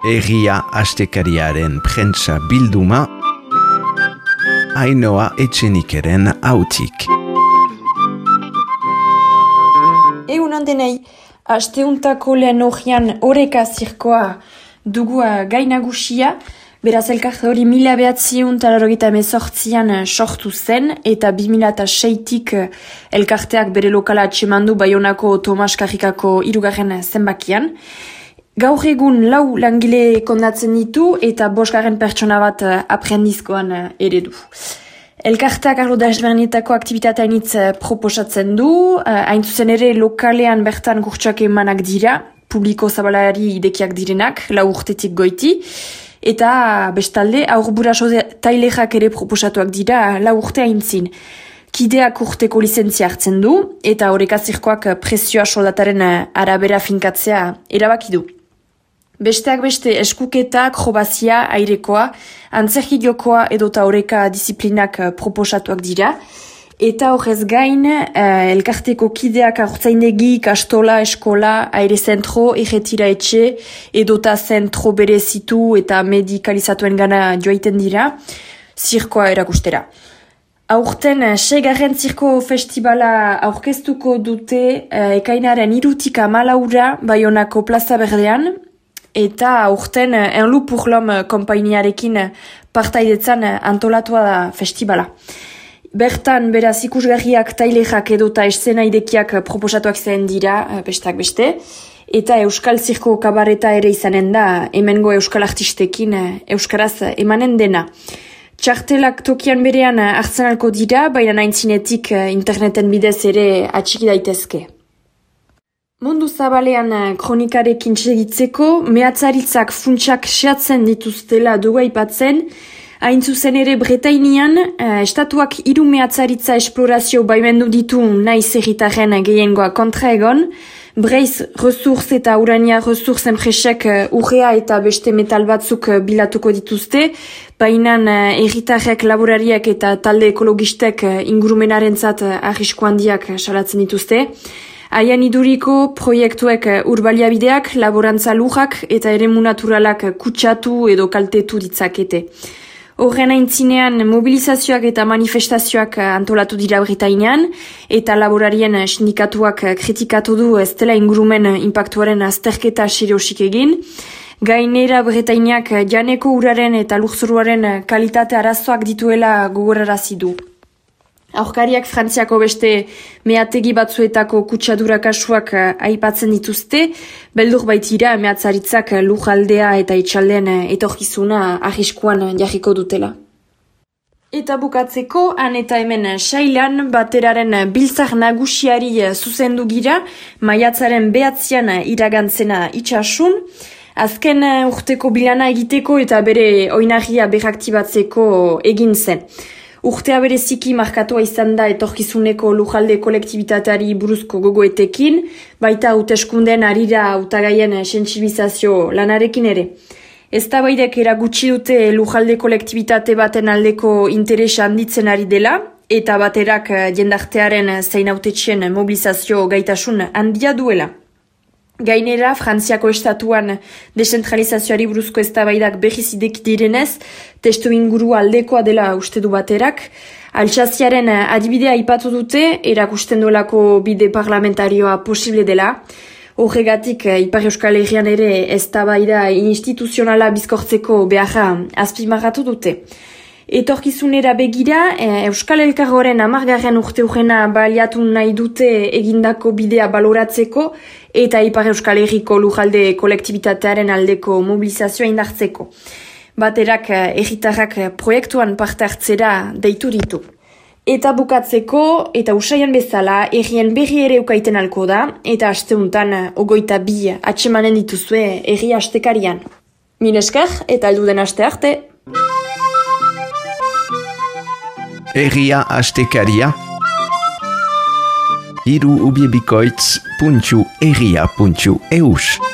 Egia astekariaren prentsa bilduma, Ainhoa Etxenikeren hautik. Egunon denei, asteuntako lehen horian oreka zirkoa dugu gai nagusia, beraz elkarte hori 1998an sortu zen, eta 2006tik elkarteak bere lokala atxemandu Baionako Tomas Karrikako 3. zenbakian. Gaur egun 4 langile kondatzen ditu eta 5 pertsona bat aprendizkoan ere du. Elkarteak arlo desberdinetako aktibitateainitz proposatzen du, hain zuzen ere lokalean bertan kurtsak emanak dira, publiko zabalari idekiak direnak, 4 urtetik goiti, eta bestalde aurguraso tailerak ere proposatuak dira 4 urte aintzin. Kideak urteko lizentzia hartzen du, eta oreka zirkoak prezioa soldataren arabera finkatzea erabaki du. Besteak beste eskuketa, akrobazia, airekoa, antzerki jokoa edota oreka disiplinak proposatuak dira. Eta horrez gain, elkarteko kideak aurtzaindegi, kastola, eskola, aire zentro, erretira etxe, edota zentro berezitu eta medikalizatuen gana joaiten dira, zirkoa erakustera. Aurten 6. zirko festivala aurkeztuko dute ekainaren 3tik 14 Baionako plaza berdean, eta aurten Enlu pour l'Homme konpainiarekin partaidetzan antolatua da festivala. Bertan, beraz ikusgarriak tailerak edota eszena idekiak proposatuak zen dira, besteak beste, eta Euskal Zirko kabareta ere izanen da, hemengo Euskal artistekin Euskaraz emanen dena. Txartelak tokian berean hartzen alko dira, baina aintzinetik interneten bidez ere atxiki daitezke. Mundu zabalean kronikarekin segitzeko, mehatzaritzak funtsak sehatzen dituztela dugu aipatzen, hain zuzen ere Bretainian, estatuak 3 mehatzaritza esplorazio baimendu ditu naiz herritarren gehiengoa kontra egon, Breiz Resource eta Urania Resource enpresek urrea eta beste metal batzuk bilatuko dituzte, baina herritarrek, laborariak eta talde ekologistek ingurumenarentzat arrisku handiak salatzen dituzte. Haian iduriko proiektuek urbaliabideak, laborantza lujak eta eremu naturalak kutsatu edo kaltetu ditzakete. Horren aintzinean mobilizazioak eta manifestazioak antolatu dira Bretainian, eta laborarien sindikatuak kritikatu du ez dela ingurumen inpaktuaren azterketa seriosik egin. Gainera Bretainiak janeko uraren eta lurzoruaren kalitate arazoak dituela gogorarazi du. Aurkariak Frantziako beste mehategi batzuetako kutsadura kasuak aipatzen dituzte, beldur baitira mehatzaritzak lujaldea eta itxaldean etorkizuna arriskuan jarriko dutela. Eta bukatzeko, han eta hemen sailan bateraren biltzar nagusiari zuzendu gira, maiatzaren 9 iragantzena itxasun, azken urteko bilana egiteko eta bere oinarria berraktibatzeko egin zen. Urtea bereziki markatua izan da etorkizuneko lujalde kolektibitateari buruzko gogoetekin, baita hauteskunden harira hautagaien sentsibilizazio lanarekin ere. Eztabaidek eragutsi dute lujalde kolektibitate baten aldeko interesa handitzen ari dela, eta baterak jendartearen zein hautetxien mobilizazio gaitasun handia duela. Gainera, Frantziako estatuan desentralizazioari buruzko eztabaidak berriz ideki direnez, testu inguru aldekoa dela uste du baterak. Altsaziaren adibidea aipatu dute, erakusten duelako bide parlamentarioa posible dela. Horregatik, Ipar Euskal Herrian ere eztabaida instituzionala bizkortzeko beharra azpimarratu dute. Etorkizunera begira, Euskal Elkargoren 10. urteurrena baliatu nahi dute egindako bidea baloratzeko eta Ipar Euskal Herriko lujalde kolektibitatearen aldeko mobilizazioa indartzeko. Baterak herritarrak proiektuan parte hartzera deitu ditu. Eta bukatzeko, eta usaian bezala, herrien berri ere ukaiten alko da, eta asteuntan 22 atsemanen dituzue herri astekarian. Min esker, eta alduden aste arte. Egia astekaria hiruubiebikoitz.egia.eus